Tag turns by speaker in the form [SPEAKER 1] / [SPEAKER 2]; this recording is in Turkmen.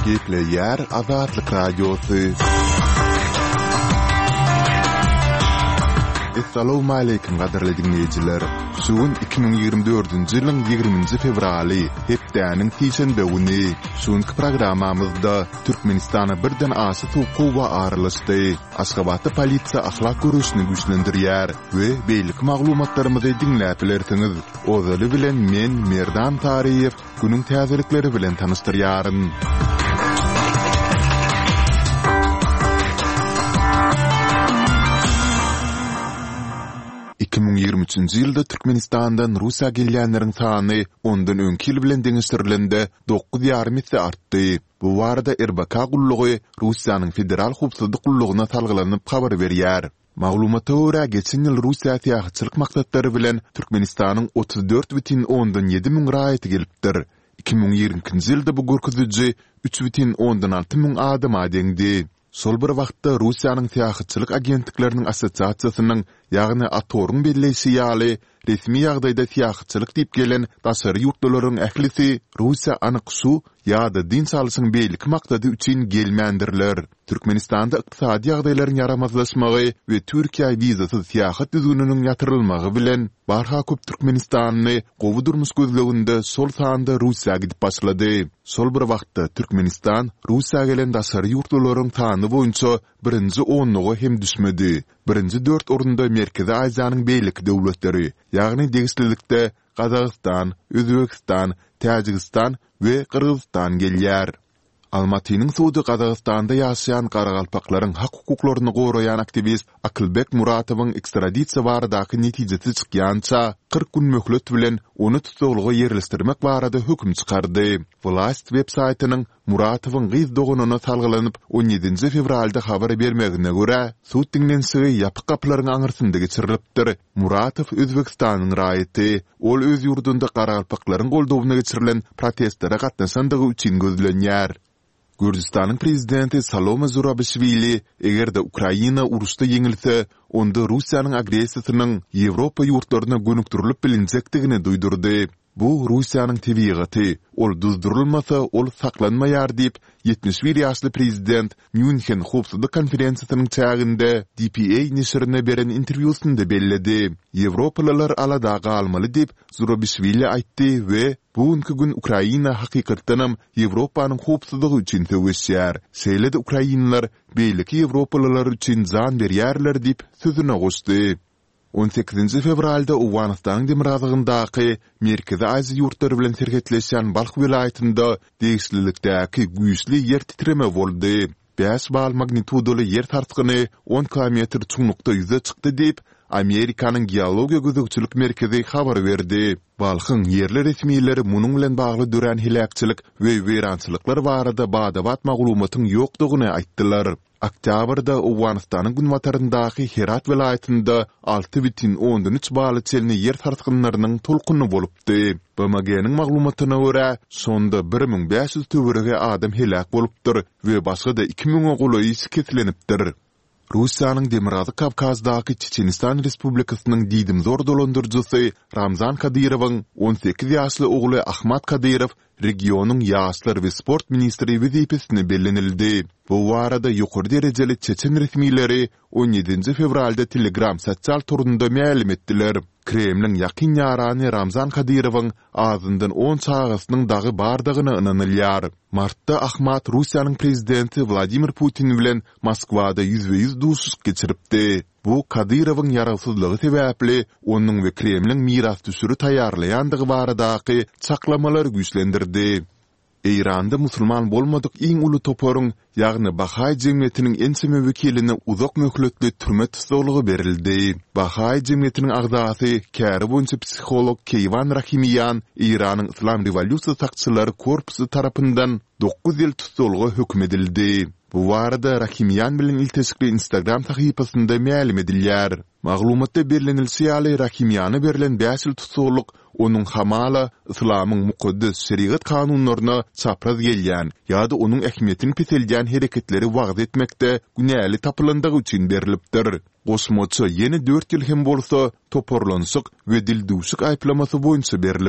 [SPEAKER 1] Gepleýär Azatlyk Radiosy. Essalawmaleýkim gadyrly diňleýjiler! Şu gün 2024-nji ýylyň 20-nji fewraly, hepdäniň sişenbe güni. Şu günki programmamyzda Türkmenistana birden aşa sowuk howa aralaşdy. Aşgabatda polisiýa ahlak göreşini güýçlendirýär we beýleki maglumatlarymyzy diňläp bilersiňiz. Ozaly bilen men, Merdan Taryýew, günüň täzelikleri bilen tanyşdyrýaryn. 2023-nji ýylda Türkmenistandan Russiýa gelýänleriň sany ondan öňki ýyl bilen deňeşdirilende dokuz ýarym esse artdy. Bu barada RBK gullugy Russiýanyň Federal howpsuzlyk gullugyna salgylanyp habar berýär. Maglumata görä, geçen ýyl Russiýa syýahatçylyk maksatlary bilen Türkmenistanyň 34,7 müň raýaty gelipdir. 2022-nji ýylda bu görkeziji 3,6 müň adama deňdi. Şol bir wagtda, Russiýanyň Syýahatçylyk agentlikleriniň assosiasiýasynyň, ýagny ATOR-yň belleýşi ýaly, resmi ýagdaýda syýahatçylyk diýip gelen daşary ýurtlularyň ählisi Russiýa anyk şu ýa-da dynç alşyň beýleki maksady üçin gelmändirler. Türkmenistanda ykdysady ýagdaýlaryň ýaramazlaşmagy we Türkiýä wizasyz syýahat düzgüniniň ýatyrylmagy bilen, barha köp türkmenistanly gowy durmuş gözleginde şol sanda Russiýa gidip başlady. Şol bir wagtda, Türkmenistan Russiýa gelen daşary ýurtlularyň sany boýunça birinji onluga hem düşmedi. Birinji dört orunda Merkezi Aziýanyň beýleki döwletleri, ýagny degişlilikde Gazagystan, Özbegistan, Täjigistan we Gyrgyzystan gelýär. Almatynyň sudy Gazagystanda ýaşaýan garagalpaklaryň hak-hukuklaryny goraýan aktiwist Akylbek Muratowyň ekstradisiýa baradaky netijesi çykýança, 40 gün möhlet bilen ony tussaglyga ýerleşdirmek barada höküm çykardy. Wlast web-saýtynyň Muratowyň gyz doganyna salgylanyp, on ýedinji fewralda habar bermegine görä, sud diňlenişigi ýapyk gapylaryň aňyrsynda geçirilipdir Muratow Özbegistanyň raýaty. Ol öz ýurdunda garagalpaklaryň goldawyna geçirilen protestlere gatnaşandygy üçin gözlenýär. Gürjüstanyň prezidenti Salome Zurabişwili eger-de Ukraina uruşda ýeňilse, onda Russiýanyň agressiýasynyň Ýewropa ýurtlaryna gönükdirilip bilinjekdigini duýdurdy. Bu Russiýanyň tebigaty, ol duzdurylmasa, ol saklanmaýar diýip, 71 ýaşly prezident Mýunhen howpsuzlyk konferensiýasynyň çäginde dpa neşirine beren interwýusynda belledi. Ýewropalylar alada galmaly diýip, Zurabişwili aýtdy we Bu günki gün Ukraina hakykatdanam Ýewropanyň howpsuzlygy üçin söweşýär. Şeýle-de ukrainler beýleki ýewropalylar üçin jan berýärler diýip, sözüne goşdy. On sekizinji fewralda Owganystanyň demirgazygyndaky Merkezi Aziýa ýurtlary bilen serhetleşýän Balh welaýatynda degişlilikdäki güýçli ýer titreme boldy. Bäş bal magnitudaly ýer sarsgyny on kilometr çuňlukda ýüze çykdy diýip, Amerikanyň Geologiýa gözegçilik merkezi habar berdi. Balhyň ýerli resmileri munuň bilen bagly dörän heläkçilik we weýrançylyklar barada bada-bat maglumatyň ýokdugyny aýtdylar. Oktýabrda Owganystanyň günbataryndaky Herat welaýatynda 6,3 bala çenli ýer sarsgynlarynyň tolkuny bolupdy. BMG-niň maglumatyna görä, şonda 1500 töweregi adam heläk bolupdyr we başga-da iki müňe golaýy şikeslenipdir. Russiýanyň Demirgazyk Kawkazdaky Çeçenistan Respublikasynyň diýdimzor dolandyryjysy Ramzan Kadyrowyň 18 ýaşly ogly Ahmad Kadyrow regionyň ýaşlar we sport ministri wezipesine bellenildi. Bu barada ýokary derejeli çeçen resmileri on ýedinji fewralda Telegram sosial torunda mälim etdiler. Kremliň ýakyn ýarany Ramzan Kadyrowyň azyndan on çagasynyň dagy bardygyna ynanylýar. Martda Ahmad Russiýanyň prezidenti Wladimir Putin bilen Moskwada ýüzbe-ýüz duşuşyk geçiripdi. Bu Kadyrowyň ýarawsyzlygy sebäpli onuň we Kremliň mirasdüşüri taýýarlaýandygy baradaky çaklamalary güýçlendirdi. Eýranda musulman bolmadyk iň uly toparyň, ýagny bahaý jemgyýetiniň ençeme wekiline uzak möhletli türme tussaglygy berildi. Bahaý jemgyýetiniň agzasy, käri boýunça psiholog Keýwan Rahimiýan Eýranyň Yslam rewolýusiýa sakçylary korpusy tarapyndan dokuz ýyl tussaglyga höküm edildi. Bu barada Rahimiýan bilen ilteşikli Instagram sahypasynda mälim edilýär. Maglumatda bellenilişi ýaly, Rahimiýana berlen bäş ýyl tussaglyk onuň hamala yslamyň mukaddes şerigat kanunlaryna çapraz gelýän ýa-da onuň ähmiýetini peseldýän hereketleri wagyz etmekde günäli tapylandygy üçin berlipdir. Goşmaça ýene dört ýyl hem bolsa toparlanyşyk we dildüwşük aýyplamasy boýunça berlipdir.